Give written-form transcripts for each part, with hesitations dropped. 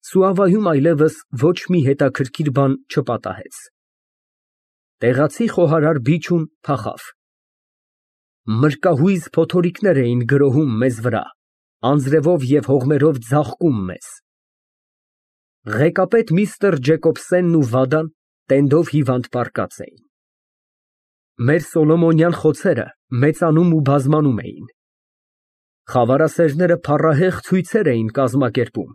Սուավայում այլևս ոչ մի հետաքրքիր բան չպատահեց։ Տեղացի խոհարար Բիչուն փախավ։ Մրկահույզ փոթորիկներ էին գրոհում մեզ վրա, անձրևով և հողմերով ձաղկում մեզ։ Ղեկապետ միստր Ջեկոբսենն ու Վադան տենդով հիվանդ պառկած էին։ Մեր սոլոմոնյան խոցերը մեծանում ու բազմանում էին։ Խավարասերները փառահեղ ցույցեր էին կազմակերպում։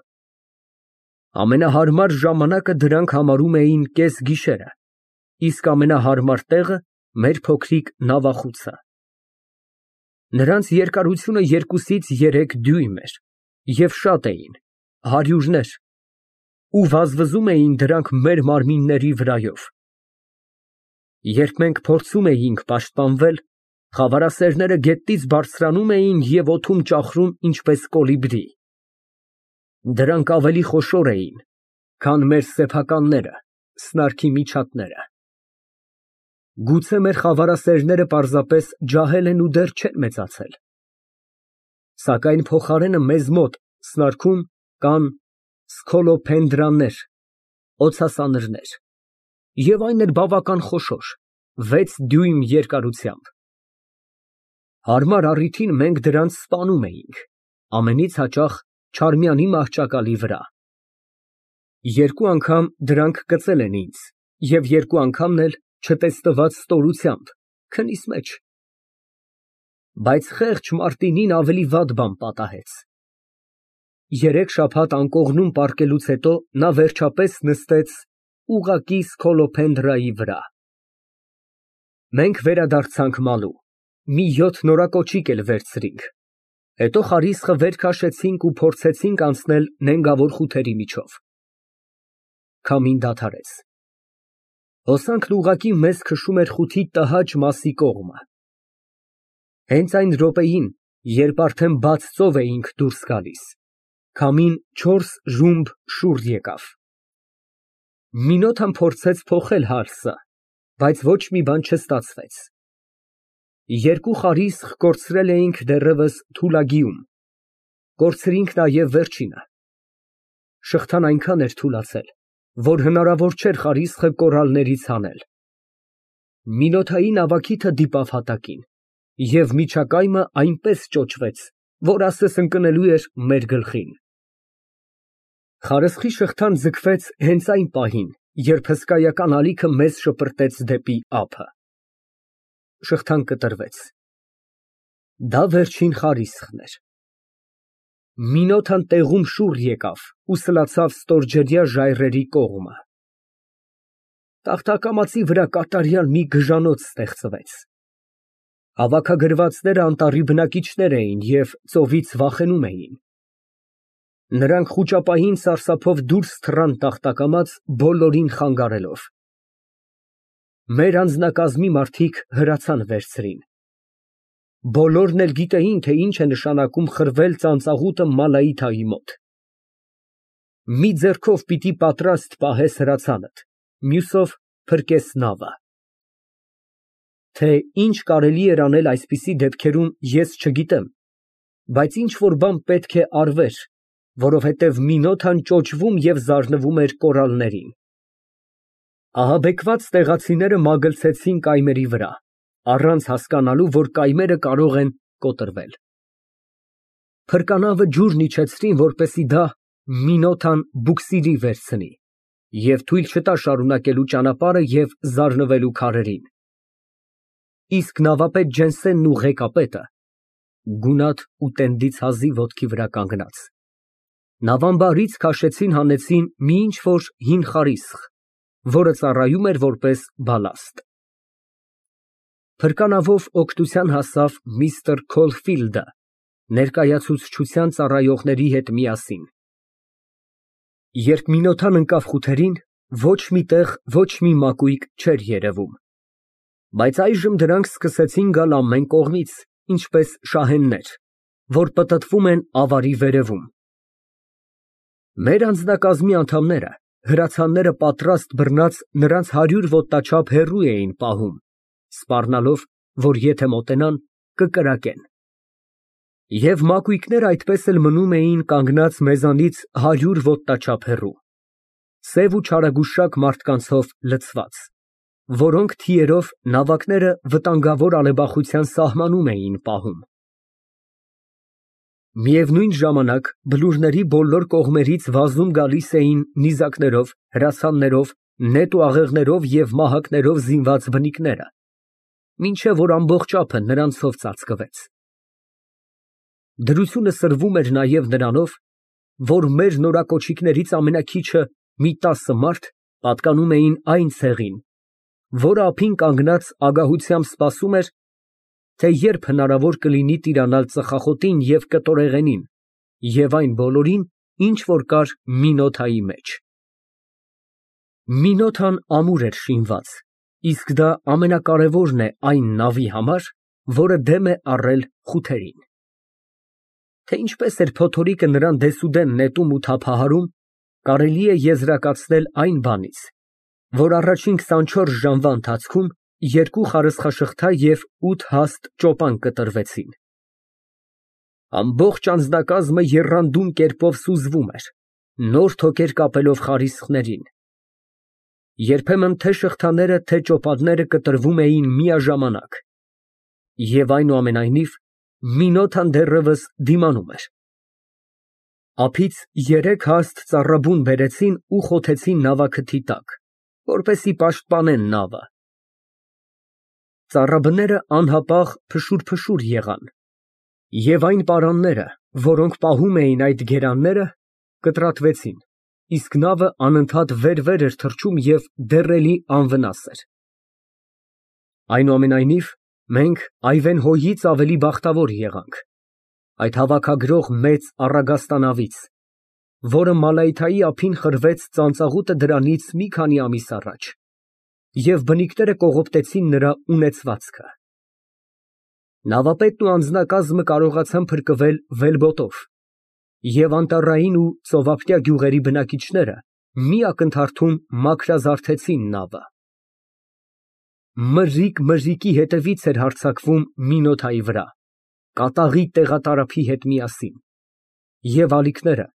Ամենահարմար ժամանակը դրանք համարում էին կեսգիշերը, իսկ ամենահարմար տեղը մեր փոքրիկ նավախուցը։ Նրանց երկարությունը 2-ից 3 դյույմ էր և շատ էին, հարյուրներ, ու վազվզում էին դրանք մեր մարմինների վրայով։ Երբ մենք փորձում էինք պաշտպանվել, խավարասերները գետից բարձրանում էին և օդում ճախրում ինչպես կոլիբրի։ Դրանք ավելի խոշոր էին, քան մեր սեփականները, սնարքի միջատները։ Գուցե մեր խավարասերները պարզապես ջահել են ու դեռ չեն մեծացել։ Սակայն փոխարենը մեզ մոտ սնարքում կան սքոլոփենդրաներ, օձասանրներ, և այն էլ բավական խոշոր, 6 դյույմ երկարությամբ։ Հարմար առիթին մենք դրանց սպանում էինք, ամենից հաճախ Չարմյանի մահճակալի վրա։ 2 անգամ դրանք կծել են ինձ և 2 անգամն էլ չտեսնված ստորությամբ, քնիս մեջ։ Բայց խեղճ Մարտինին ավելի վատ բան պատահեց։ 3 շաբաթ անկողնում պառկելուց հետո նա վերջապես նստեց ուղղակի սքոլոփենդրայի վրա։ Մենք վերադարձանք մալու, մի 7 նորակոճիկ էլ վերցրինք, հետո խարիսխը վեր քաշեցինք ու փորձեցինք անցնել նենգավոր խութերի միջով։ Քամին դադարեց։ Հոսանքն ուղղակի մեզ քշում էր խութի տհաճ մասի կողմը։ Հենց այն րոպեին, երբ արդեն բաց ծով էինք դուրս գալիս, քամին 4 ժումբ շուռ եկավ։ Մինոթան փորձեց փոխել հալսը, բայց ոչ մի բան չստացվեց։ 2 խարիսխ կորցրել էինք դեռևս Թուլագիում, կորցրինք նաև վերջինը։ Շղթան այնքան էր թուլացել, որ հնարավոր չէր խարիսխը կորալներից հանել։ Մինոթայի նավակիթը դիպավ հատակին, և միջակայմը այնպես ճոճվեց, որ ասես ընկնելու էր մեր գլխին։ Խարսխի շղթան ձգվեց հենց այն պահին, երբ հսկայական ալիքը մեզ շպրտեց դեպի ափը։ Շղթան կտրվեց։ Դա վերջին խարիսխն էր։ Մինոթան տեղում շուռ եկավ ու սլացավ ստորջրյա ժայռերի կողմը։ Տախտակամածի վրա կատարյալ մի գժանոց ստեղծվեց։ Հավաքագրվածները անտառի բնակիչներ էին և ծովից վախենում էին։ Նրանք խուճապային սարսափով դուրս թռան տախտակամած, բոլորին խանգարելով։ Մեր անձնակազմի մարդիկ հրացան վերցրին։ Բոլորն էլ գիտեին, թե ինչ է նշանակում խրվել ծանծաղուտը Մալայիթայի մոտ։ Մի ձեռքով պիտի պատրաստ պահես հրացանդ, մյուսով փրկես նավը։ Թե ինչ կարելի էր անել այսպիսի դեպքերում, ես չգիտեմ, բայց ինչ֊որ բան պետք է արվեր, որովհետև Մինոթան ճոճվում և զարնվում էր կորալներին։ Ահաբեկված տեղացիները մագլցեցին կայմերի վրա, առանց հասկանալու, որ կայմերը կարող են կոտրվել։ Փրկանավը ջուրն իջեցրին, որպեսզի դա Մինոթան բուքսիրի վերցնի և թույլ չտա շարունակելու ճանապարհը և զարնվելու քարերին։ Իսկ նավապետ Ջենսենն ու ղեկապետը գունատ ու տենդից հազիվ ոտքի վրա կանգնած, նավամբարից քաշեցին հանեցին մի ինչ֊որ հին խարիսխ, որը ծառայում էր որպես բալաստ։ Փրկանավով օգնության հասավ միստր Քոլֆիլդը ներկայացուցչության ծառայողների հետ միասին։ Երբ Մինոթան ընկավ խութերին, ոչ մի տեղ ոչ մի մակույկ չէր երևում, բայց այժմ դրանք սկսեցին գալ ամեն կողմից, ինչպես շահեններ, որ պտտվում են ավարի վերևում։ Մեր անձնակազմի անդամները, հրացանները պատրաստ բռնած նրանց 100 ոտնաչափ հեռու էին պահում, սպառնալով, որ եթե մոտենան, կկրակեն։ Եվ մակույկները այդպես էլ մնում էին կանգնած մեզանից 100 ոտնաչափ հեռու, սև ու չարագուշակ մարդկանցով լցված, որոնք թիերով նավակները վտանգավոր ալեբախության սահմանում էին պահում։ Միևնույն ժամանակ բլուրների բոլոր կողմերից վազում գալիս էին նիզակներով, հրացաններով, նետ ու աղեղներով և մահակներով զինված բնիկները, մինչև որ ամբողջ ափը նրանցով ծածկվեց։ Դրությունը սրվում էր նաև նրանով, որ մեր նորակոչիկներից ամենաքիչը մի 10 մարդ պատկանում էին այն ցեղին, որը ափին կանգնած ագահությամբ սպասում էր, թե երբ հնարավոր կլինի տիրանալ ծխախոտին և կտորեղենին և այն բոլորին, ինչ որ կար Մինոթայի մեջ։ Մինոթան ամուր էր շինված, իսկ դա ամենակարևորն է այն նավի համար, որը դեմ է առել խութերին։ Թե ինչպես էր փոթորիկը նրան դեսուդեն նետում ու թափահարում, կարելի է եզրակացնել այն բանից, որ առաջին 24 ժամվա ընթացքում 2 խարսխաշղթա և 8 հաստ ճոպան կտրվեցին։ Ամբողջ անձնակազմը եռանդուն կերպով սուզվում էր, նոր թոքեր կապելով խարիսխներին։ Երբեմն թե շղթաները, թե ճոպանները կտրվում էին միաժամանակ, և այնուամենայնիվ Մինոթան դեռևս դիմանում էր։ Ափից 3 հաստ ծառաբուն բերեցին ու խոթեցին նավաքթի տակ, որպեսզի պաշտպանեն նավը։ Ծառաբները անհապաղ փշուր եղան, և այն պարանները, որոնք պահում էին այդ գերանները, կտրատվեցին, իսկ նավը անընդհատ վեր էր թռչում և դեռ էլի անվնաս էր։ Այնուամենայնիվ, մենք Այվենհոյից ավելի բախտավոր եղանք այդ հավաքագրող մեծ առագաստանավից, որը Մալայթայի ափին խրվեց ծանծաղուտը դրանից մի քանի ամիս առաջ, և բնիկները կողոպտեցին նրա ունեցվածքը։ Նավապետն ու անձնակազմը կարողացան փրկվել վելբոտով, և անտառային ու ծովափնյա գյուղերի բնակիչները մի ակնթարթում մաքրազարդեցին նավը։ Մրրիկ հետևից էր հարձակվում Մինոթայի վրա, կատաղի տեղատարափի հետ միասին, և ալիքները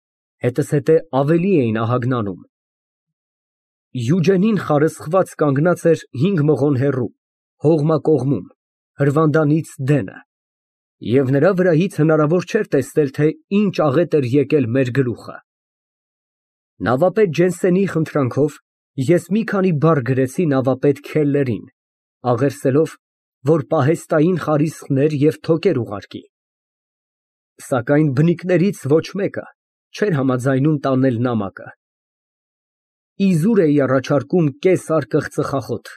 հետզհետե ավելի էին ահագնանում։ Յուջենին խարսխված կանգնած էր 5 մղոն հեռու, հողմակողմում, հրվանդանից դենը, և նրա վրայից հնարավոր չէր տեսնել, թե ինչ աղետ էր եկել մեր գլուխը։ Նավապետ Ջենսենի խնդրանքով ես մի քանի բառ գրեցի նավապետ Քելլերին, աղերսելով, որ պահեստային խարիսխներ և թոքեր ուղարկի, սակայն բնիկներից ոչ մեկը չէր համաձայնում տանել նամակը։ Իզուր էի առաջարկում կես արկղ ծխախոտ,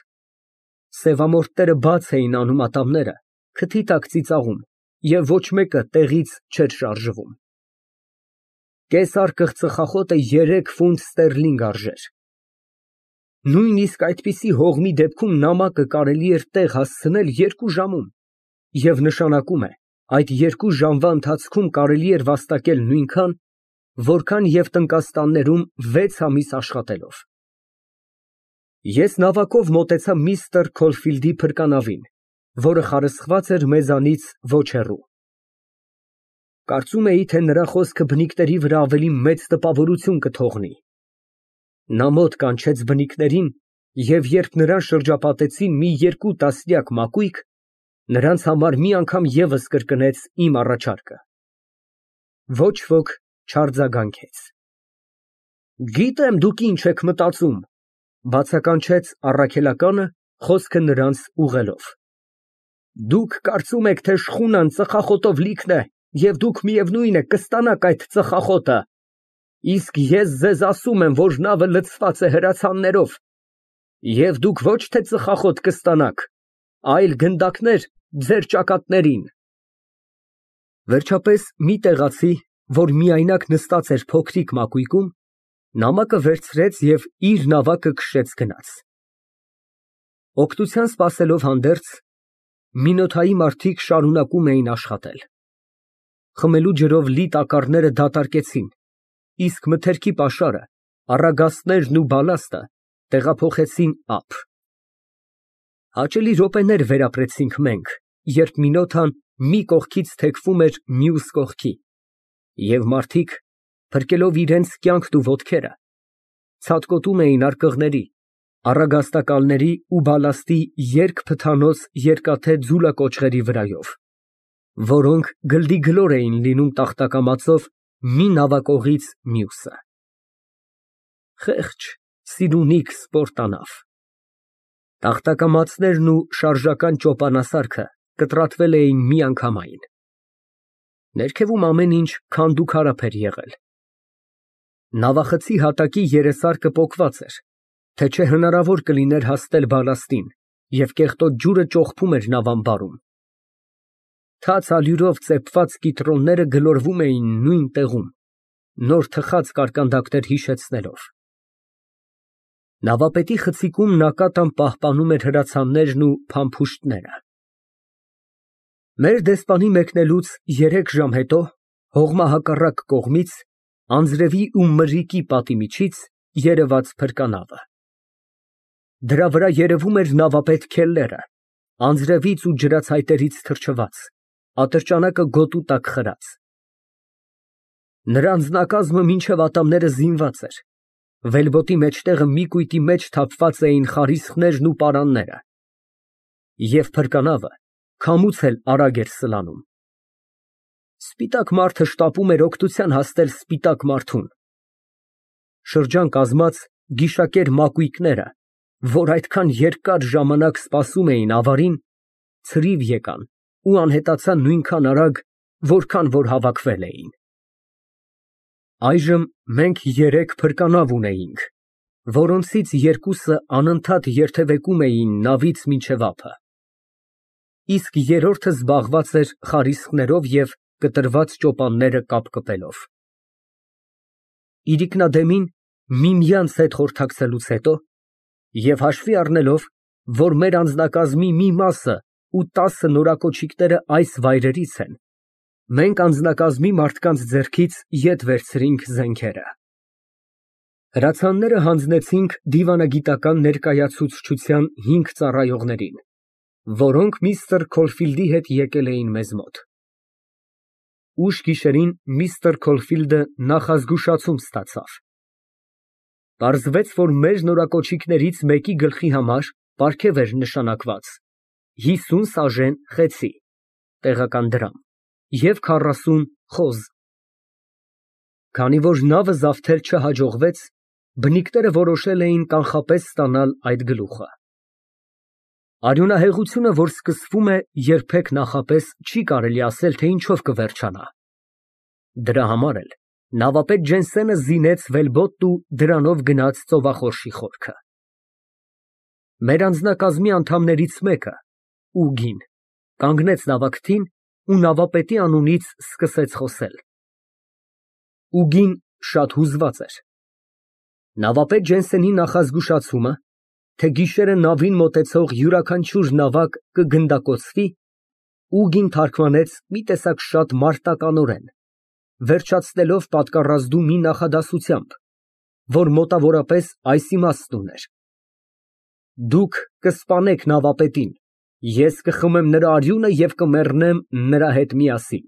սևամորթները բաց էին անում ատամները, քթի տակ ծիծաղում, և ոչ մեկը տեղից չէր շարժվում։ Կես արկղ ծխախոտը 3 ֆունտ ստերլինգ արժեր։ Նույնիսկ այդպիսի հողմի դեպքում նամակը կարելի էր տեղ հասցնել 2 ժամում, և նշանակում է այդ 2 ժամվա ընթացքում կարելի էր վաստակել նույնքան, որքան և տնկաստաններում 6 ամիս աշխատելով։ Ես նավակով մոտեցա միստր Քոլֆիլդի փրկանավին, որը խարսխված էր մեզանից ոչ հեռու։ Կարծում էի, թե նրա խոսքը բնիկների վրա ավելի մեծ տպավորություն կթողնի։ Նա մոտ կանչեց բնիկներին, և երբ նրան շրջապատեցին մի 2 տասնյակ մակույկ, նրանց համար մի անգամ ևս կրկնեց իմ առաջարկը։ Ոչ ոք չարձագանքեց։ Գիտեմ, դուք ինչ եք մտածում, բացականչեց առաքելականը, խոսքը նրանց ուղղելով։ Դուք կարծում եք, թե շխունան ծխախոտով լիքն է, և դուք միևնույն է կստանաք այդ ծխախոտը, իսկ ես ձեզ ասում եմ, որ նավը լցված է հրացաններով, և դուք ոչ թե ծխախոտ կստանաք, այլ գնդակներ ձեր ճակատներին։ Վերջապես մի տեղացի, որ միայնակ նստած էր փոքրիկ մակույկում, նամակը վերցրեց և իր նավակը քշեց գնաց։ Օգնության սպասելով հանդերձ, Մինոթայի մարդիկ շարունակում էին աշխատել։ Խմելու ջրով լի տակառները դատարկեցին, իսկ մթերքի պաշարը, առագաստներն ու բալաստը տեղափոխեցին ափ։ Հաճելի րոպեներ վերապրեցինք մենք, երբ Մինոթան մի կողքից թեքվում էր մյուս կողքի, և մարդիկ, փրկելով իրենց կյանքն ու ոտքերը, ցատկոտում էին արկղների, առագաստակալների ու բալաստի երկփթանոց երկաթե ձուլակոճղերի վրայով, որոնք գլդիգլոր էին լինում տախտակամածով մի նավակողից մյուսը։ Խեղճ, սիրունիկ սպորտանավ։ Տախտակամածներն ու շարժական ճոպանասարքը կտրատվել էին միանգամայն։ Ներքևում ամեն ինչ քանդուքարափ էր եղել։ Նավախցի հատակի երեսարկը պոկված էր, թե չէ հնարավոր կլիներ հասնել բալաստին, և կեղտոտ ջուրը ճոխփում էր նավամբարում։ Թաց ալյուրով ծեփված կիտրոնները գլորվում էին նույն տեղում, նոր թխած կարկանդակներ հիշեցնելով։ Նավապետի խցիկում նակատան պահպանում էր հրացաններն ու փամփուշտները։ Մեր դեսպանի մեկնելուց 3 ժամ հետո հողմահակառակ կողմից, անձրևի ու մրրիկի պատի միջից երևաց փրկանավը։ Դրա վրա երևում էր նավապետ Քելլերը, անձրևից ու ջրացայտերից թրջված, ատրճանակը գոտու տակ խրած։ Նրա անձնակազմը մինչև ատամները զինված էր, վելբոտի մեջտեղը մի կույտի մեջ թափված էին խարիսխներն ու պարանները, և փրկանավը քամուց էլ արագ էր սլանում։ Սպիտակ մարդը շտապում էր օգնության հասնել սպիտակ մարդուն։ Շրջան կազմած գիշակեր մակույկները, որ այդքան երկար ժամանակ սպասում էին ավարին, ցրիվ եկան ու անհետացան նույնքան արագ, որքան որ հավաքվել էին։ Այժմ մենք 3 փրկանավ ունեինք, որոնցից 2-ը անընդհատ երթևեկում էին նավից մինչև ափը, իսկ երրորդը զբաղված էր խարիսխներով և կտրված ճոպանները կապկպելով։ Իրիկնադեմին միմյանց հետ խորհրդակցելուց հետո և հաշվի առնելով, որ մեր անձնակազմի մի մասը ու 10 նորակոչիկները այս վայրերից են, մենք անձնակազմի մարդկանց ձեռքից ետ վերցրինք զենքերը։ Հրացանները հանձնեցինք դիվանագիտական ներկայացուցչության 5 ծառայողներին, որոնք միստր Քոլֆիլդի հետ եկել էին մեզ մոտ։ Ուշ գիշերին միստր Քոլֆիլդը նախազգուշացում ստացավ։ Պարզվեց, որ մեր նորակոչիկներից մեկի գլխի համար պարգև էր նշանակված 50 սաժեն խեցի (տեղական դրամ) և 40 խոզ։ Քանի որ նավը զավթել չհաջողվեց, բնիկները որոշել էին կանխապես ստանալ այդ գլուխը։ Արյունահեղությունը, որ սկսվում է երբեք նախապես, չի կարելի ասել, թե ինչով կվերջանա։ Դրա համար էլ նավապետ Ջենսենը զինեց վելբոտն ու դրանով գնաց ծովախորշի խորքը։ Մեր անձնակազմի անդամներից մեկը, Ուգին, կանգնեց նավակթին ու նավապետի անունից սկսեց խոսել։ Ուգին շատ հուզված էր։ Նավապետ Ջենսենի նախազգուշացումը, թե գիշերը նավին մոտեցող յուրաքանչյուր նավակ կգնդակոծվի, Ուգին թարգմանեց մի տեսակ շատ մարտականորեն, վերջացնելով պատկառազդու մի նախադասությամբ, որ մոտավորապես այս իմաստն ուներ. «Դուք կսպանեք նավապետին, ես կխմեմ նրա արյունը և կմեռնեմ նրա հետ միասին»։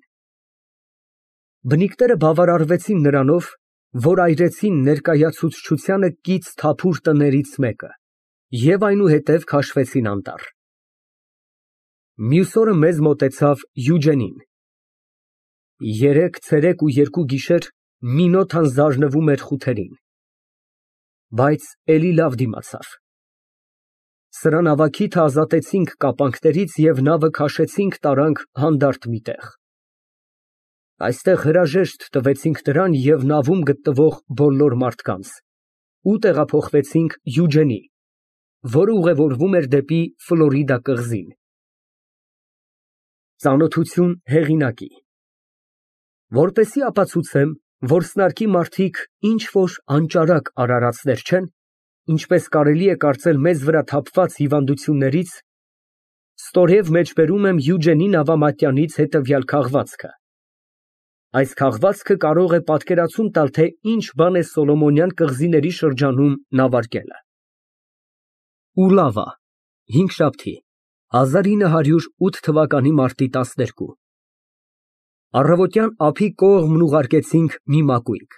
Բնիկները բավարարվեցին նրանով, որ այրեցին ներկայացուցչությանը կից թափուր տներից մեկը և այնուհետև քաշվեցին անտառ։ Մյուս օրը մեզ մոտեցավ Յուջենին։ 3 ցերեկ ու 2 գիշեր Մինոթան զարնվում էր խութերին, բայց էլի լավ դիմացավ։ Սրա նավակիթը ազատեցինք կապանքներից և նավը քաշեցինք տարանք հանդարտ մի տեղ։ Այստեղ հրաժեշտ տվեցինք նրան և նավում գտնվող բոլոր մարդկանց ու տեղափոխվեցինք Յուջենի, որը ուղևորվում էր դեպի Ֆլորիդա կղզին։ Ծանոթություն հեղինակի։ Որպեսզի ապացուցեմ, որ սնարկի մարդիկ ինչ֊որ անճարակ արարածներ չեն, ինչպես կարելի է կարծել մեզ վրա թափված հիվանդություններից, ստորև մեջբերում եմ Յուջենի նավամատյանից հետևյալ քաղվածքը։ Այս քաղվածքը կարող է պատկերացում տալ, թե ինչ բան է Սոլոմոնյան կղզիների շրջանում նավարկելը։ Ուլավա, հինգշաբթի, 1908 թվականի մարտի 12։ Առավոտյան ափի կողմն ուղարկեցինք մի մակույկ։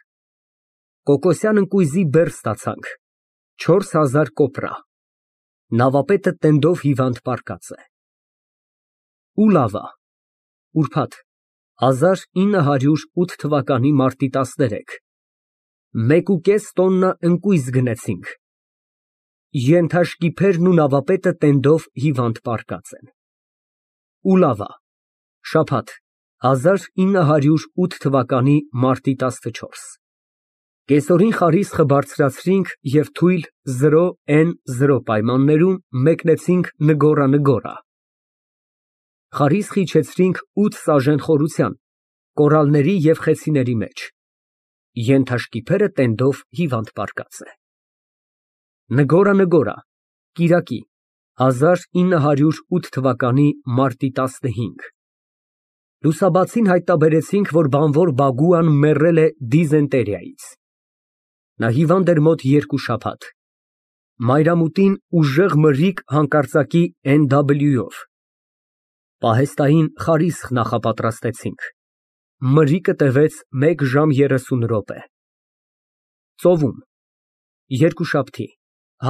Կոկոսյան ընկույզի բեռ ստացանք, 4000 կոպրա։ Նավապետը տենդով հիվանդ պառկած է։ Ուլավա, ուրբաթ, 1908 թվականի մարտի 13, 1,5 տոննա ընկույզ գնեցինք։ Ենթաշկիփերն ու նավապետը տենդով հիվանդ պառկած են։ Ուլավա, շաբաթ, 1908 թվականի մարտի 14, կեսօրին խարիսխը բարձրացրինք և թույլ 0N0 պայմաններում մեկնեցինք Նգորա։ Խարիսխը իջեցրինք 8 սաժեն խորության, կորալների և խեցիների մեջ։ Ենթաշկիփերը տենդով հիվանդ պառկած է։ Նգորա, կիրակի, 1908 թվականի մարտի 15, լուսաբացին հայտնաբերեցինք, որ բանվոր Բագուան մեռել է դիզենտերիայից։ Նա հիվանդ էր մոտ 2 շաբաթ։ Մայրամուտին ուժեղ մրրիկ հանկարծակի NW-ով։ Պահեստային խարիսխ նախապատրաստեցինք։ Մրրիկը տևեց 1 ժամ 30 րոպե։ Ծովում, երկուշաբթի,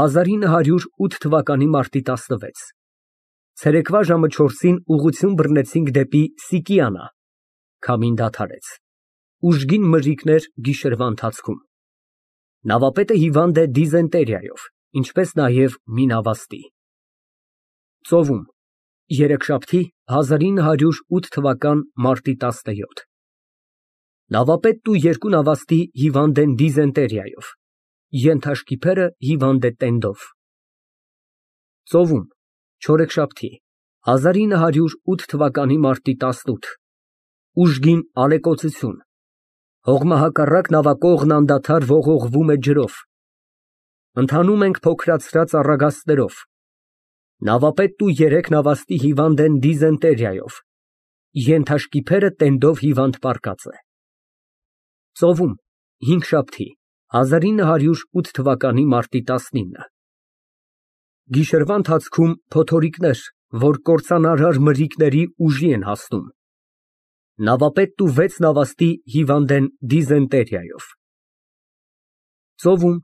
1908 թվականի մարտի 16, ցերեկվա ժամը 4-ին ուղղություն բռնեցինք դեպի Սիկիանա, քամին դադարեց։ Ուժգին մրրիկներ գիշերվա ընթացքում։ Նավապետը հիվանդ է դիզենտերիայով, ինչպես նաև մի նավաստի։ Ծովում, երեքշաբթի, 1908 թվական մարտի 17, նավապետն ու 2 նավաստի հիվանդ են դիզենտերիայով, ենթաշկիփերը հիվանդ է տենդով։ Ծովում, չորեքշաբթի, 1908 թվականի մարտի 18, ուժգին ալեկոծություն, հողմահակառակ նավակողն անդադար ողողվում է ջրով։ Ընթանում ենք փոքրացրած առագաստներով։ Նավապետն ու 3 նավաստի հիվանդ են դիզենտերիայով, ենթաշկիփերը տենդով հիվանդ պառկած է։ Ծովում, հինգշաբթի, 1908 թվականի մարտի 19, գիշերվա ընթացքում փոթորիկներ, որ կործանարար մրրիկների ուժի են հասնում։ Նավապետն ու 6 նավաստի հիվանդ են դիզենտերիայով։ Ծովում,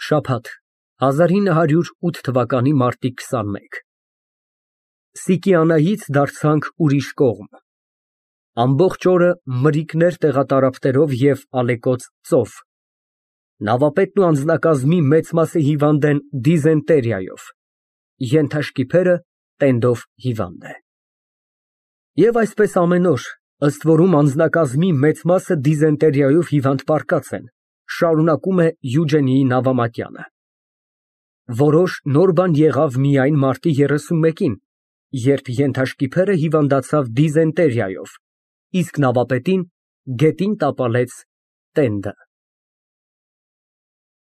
շաբաթ, 1908 թվականի մարտի 21, Սիկիանայից դարձանք ուրիշ կողմ։ Ամբողջ օրը մրրիկներ տեղատարափներով և ալեկոծ ծով։ Նավապետն ու անձնակազմի մեծ մասը հիվանդ են դիզենտերիայով, ենթաշկիփերը տենդով հիվանդ է։ Եվ այսպես ամեն օր, ըստ որում անձնակազմի մեծ մասը դիզենտերիայով հիվանդ պառկած են, շարունակում է Յուջենիի նավամատյանը։ Որոշ նոր բան եղավ միայն մարտի 31-ին, երբ ենթաշկիփերը հիվանդացավ դիզենտերիայով, իսկ նավապետին գետին տապալեց տենդը։